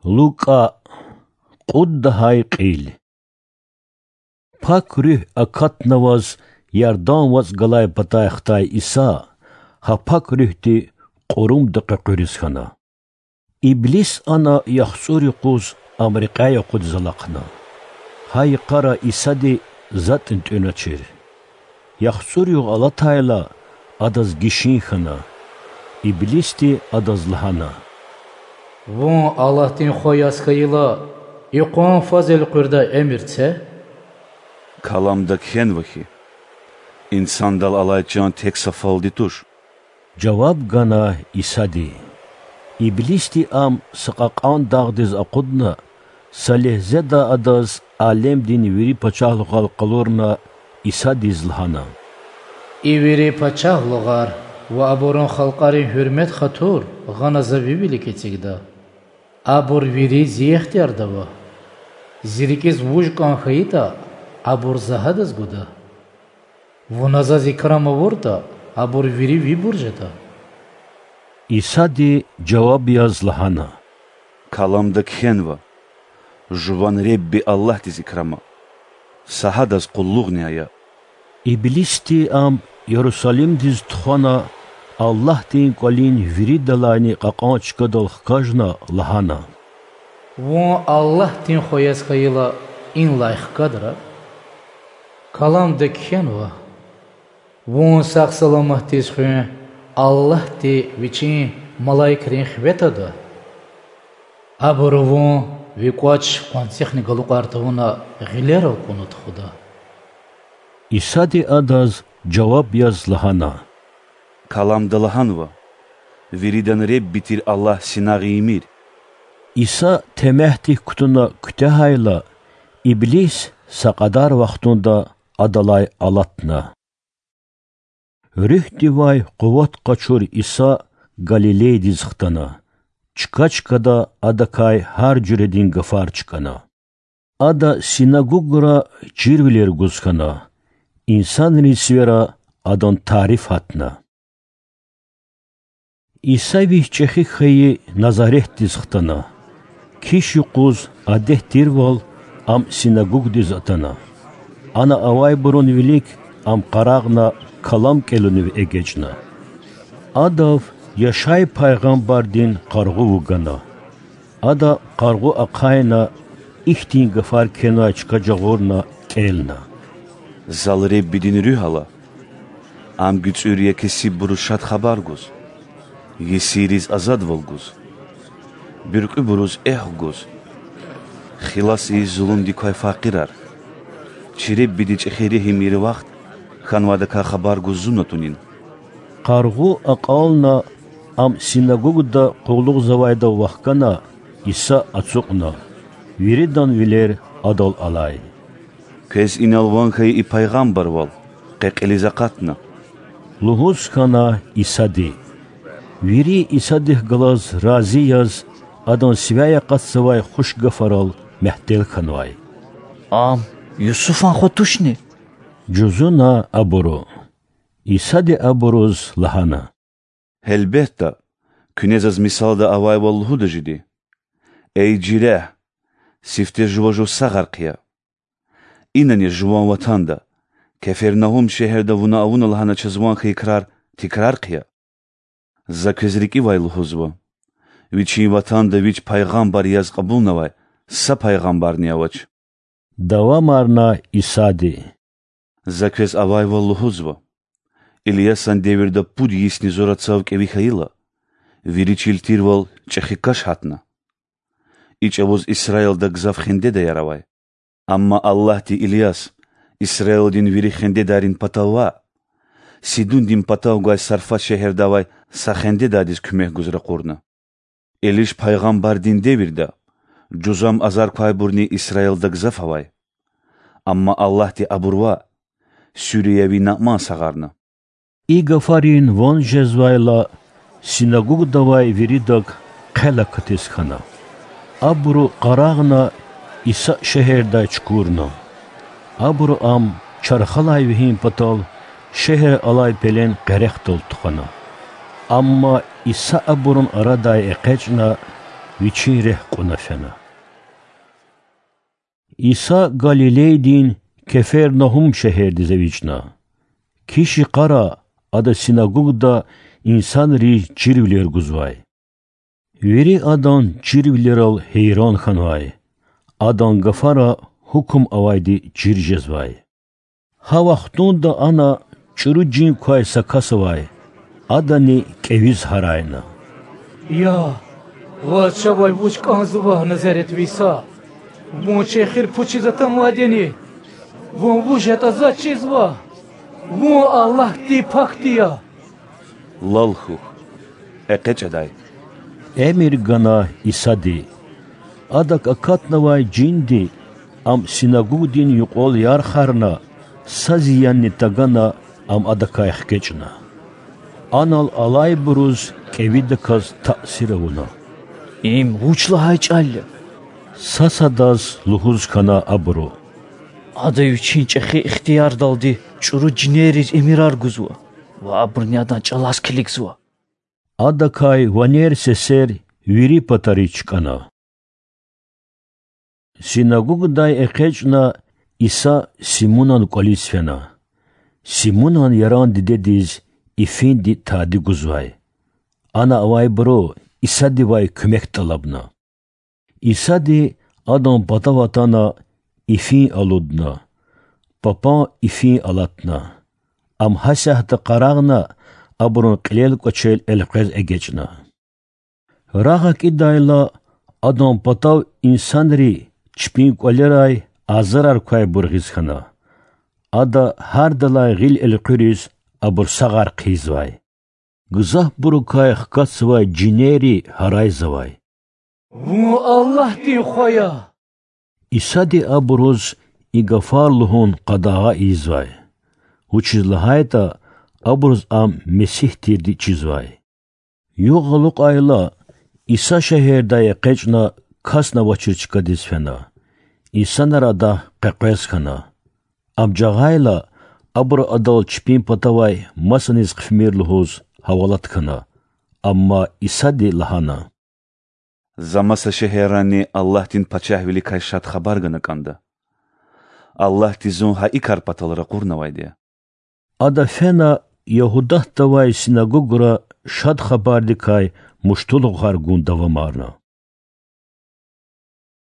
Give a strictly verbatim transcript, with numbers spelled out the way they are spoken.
Лукӏа, кьуд лагьай кьил. Пак Руьгь акатнаваз Ярдан вацӏ галай патай хтай Иса гьа Пак Руьгьди кьурумда къекъуьриз хьана. Иблис ана яхцӏур юкъуз Ам рекьяй акъудиз алахъна. Гьа йикъара Исади затӏни тӏуьначир. ЯхцӀур югъ алатайла, адаз гишин хьана. Иблисди адаз лагьана: Вун Аллагьдин Хва яз хьайила, икьван фаз элкъуьрдай эмир це. Каламда кхьенва хьи: Инсандал алай чан тек са фалди туш. Жаваб гана Исади. Иблисди ам са кьакьан дагъдиз акъудна, са легьзеда адаз алемдин вири пачагьлугъар къалурна, Исадиз лагьана: И вири пачагьлугъар ва абурун халкьарин гьуьрмет-хатур гъана За Ви вилик эцигда. Абур вири Зи ихтиярда ава. Зи рикӀиз вуж кӀан хьайитӀа, абур За гьадаз гуда. Вуна Заз икрам авуртӀа, абур вири Вибур жеда. Исади жаваб яз лагьана: Каламда кхьенва: Жуван Ребби Аллагьдиз икрама. Са гьадаз къуллугъни ая. Иблисди ам Ярусалимдиз тухвана, Аллагьдин КӀвалин виридалайни кьакьан чкадал хкажна, лагьана: Вун Аллагьдин Хва яз хьайила, инлай хкадра. Каламда кхьенва: Вун сагъ-саламатдиз хуьн Аллагьди Вичин малаикрин хиве тада. Абуру Вун Ви кӀвач къванцихъни галукьар тавуна гъилерал кьуна тухуда. Исади адаз жаваб яз лагьана: Каламда лагьанва: Виридан Ребби тир Аллагь синагъ ийимир. Иса темягьдик кутуна куьтягьайла, иблис са кьадар вахтунда адалай алатна. Руьгьдивай къуват къачур Иса Галилейдиз хтана, чка-чкада Адакай гьар жуьредин гафар чкӀана. Ада синагогра чирвилер гуз хьана, инсанрин сивера Адан тариф гьатна. Иса Вич чӀехи хьайи Назаретдиз хтана. Киш юкъуз, адет тирвал, Ам синагогдиз атана. Ана авайбурун вилик Ам къарагъна, калам кӀелунив эгечӀна. Адав Яшай пайгъамбардин къаргъу вугана. Ада къаргъу ахъайна, ихьтин гафар кхьенвай чка жагъурна, кӀелна: Зал Реббидин Руьгь ала. Ам гуьцӀуьр я кесиббуруз Шад Хабар гуз, есирриз азадвал гуз, буьркьуьбуруз эхв гуз, хилас ийиз зулумдик квай факъирар, чи Реббиди чӀехи регьим ийир вахт хьанвайдакай хабар гуз зун атунин. Къаргъу акьална, Ам синагогда къуллугъзавайдав вахкана, Иса ацукьна, виридан вилер Адал алай. Квез инал ван хьайи и пайгъамбарвал къе кьилиз акъатна,– лугьуз хьана Исади. Вири Исадихъ галаз рази яз, Адан сивяй акъатзавай хуш гафарал мягьтел хьанвай. Ам Юсуфан хва тушни? жузуна абуру. Исади абуруз лагьана: Гьелбетда, куьне Заз мисалда авайвал лугьуда жеди: Эй жирягь, сифте жува жув сагъар хъия. Инани жуван ватанда, Кефернагьум шегьерда вуна авуна лагьана чаз ван хьайи крар тикрар хъия. За квез рикӀивай лугьузва: вичин ватанда вич пайгъамбар яз кьабулнавай са пайгъамбарни авач,– давамарна Исади. За квез авайвал лугьузва: Ильясан девирда пуд йисни зура цав кӀеви хьайила, вири чил тирвал чӀехи каш гьатна. И чӀавуз Исраилда гзаф хендедаяр авай. Амма Аллагьди Ильяс Исраилдин вири хендедайрин патав ваъ, Сидундин патав гвай Сарфат шегьерда авай са хендедайдиз куьмек гуз ракъурна. Элиш пайгъамбардин девирда жузам азар квайбурни Исраилда гзаф авай. Амма Аллагьди абур ваъ, суьриявий Наъман сагъарна. И гафарин ван жезвайла, синагогда авай виридак хъел акатиз хьана. Абуру къарагъна, Иса шегьердай чукурна. Абуру Ам чархалай вегьин патал шегьер алай пелен къерехдал тухвана. Амма Иса абурун арадай экъечӀна, Вичин рехъ кьуна фена. Иса Галилейдин Кефернагьум шегьердиз эвичӀна. Киш йикъара Ада синагогда инсанриз чирвилер гузвай. Вири Адан чирвилерал гьейран хьанвай, Адан гафара гьукум авайди чир жезвай. Гьа вахтунда ана чӀуру жин квай са кас авай, адани кӀевиз гьарайна: Я, ваз чавай вуч кӀанзава, Назаретви Иса? Вун чи эхир пучиз атанвайди яни? Вун вуж ятӀа заз чизва? Вун Аллагьдин Пакди я. Лал хьухь, экъечӀ адай,— эмир гана Исади. Адак акатнавай жинди, ам синагогдин юкьвал ярхарна, са зиянни тагана, ам адакай хкечӀна. Анал алайбуруз кӀевидаказ таъсир авуна. Им вуч лагьай чӀал я? са-садаз лугьуз хьана абуру. Ада вичин чӀехи ихтиярдалди чӀуру жинерриз эмирар гузва ва абурни адан чӀалаз килигзава. Адакай ванер-сесер вири патариз чкӀана. Синагогдай экъечӀна, Иса Симунан кӀвализ фена. Симунан яран дидедиз ифинди тади гузвай. Ана авайбуру Исадивай куьмек тӀалабна. Исади адан патав атана, ифин алудна. Папан ифин алатна. Ам гьасятда къарагъна, абурун кьилел кӀвачел элкъвез эгечӀна. Рагъ акӀидайла, Адан патав инсанри чпин кӀвалерай азарар квайбур гъиз хьана. Ада гьардалай гъил элкъуьриз абур сагъар хъийизвай. Гзафбурукай хкатзавай жинерри гьарайзавай: Вун Аллагьдин Хва я! Исади абуруз и гафар лугьун къадагъа ийизвай, вучиз лагьайтӀа абуруз Ам Месигь тирди чизвай. Югъ алукьайла, Иса шегьердай экъечӀна, касни авачир чкадиз фена. Инсанар Адахъ къекъвез хьана. Ам жагъайла, абуру Адал чпин патавай масаниз хъфимир лугьуз гьавалат хьана. Амма Исади лагьана: За маса шегьеррани Аллагьдин Пачагьвиликай Шад Хабар гана кӀанда. Аллагьди Зун гьа и кар патал ракъурнавайди я. Ада фена Ягьудатда авай синагогра Шад Хабардикай муштулухар гун давамарна.